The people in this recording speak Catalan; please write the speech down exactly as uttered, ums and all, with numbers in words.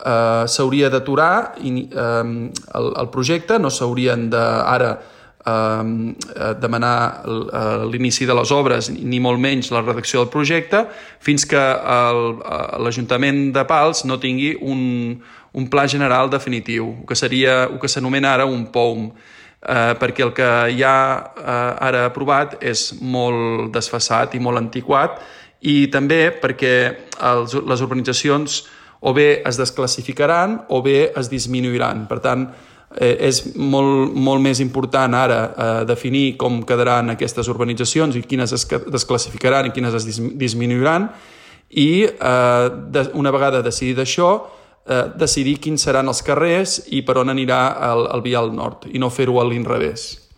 eh, s'hauria d'aturar eh, el, el projecte, no s'haurien de ara eh, demanar l'inici de les obres ni molt menys la redacció del projecte fins que l'Ajuntament de Pals no tingui un, un pla general definitiu, el que seria el que s'anomena ara un P O U M, eh, perquè el que hi ha eh, ara aprovat és molt desfasat i molt antiquat, i també perquè els, les urbanitzacions o bé es desclassificaran o bé es disminuiran. Per tant, eh, és molt, molt més important ara eh, definir com quedaran aquestes urbanitzacions i quines es desclassificaran i quines es disminuiran, i eh, de, una vegada decidit això, eh, decidir quins seran els carrers i per on anirà el, el vial nord, i no fer-ho a l'inrevés.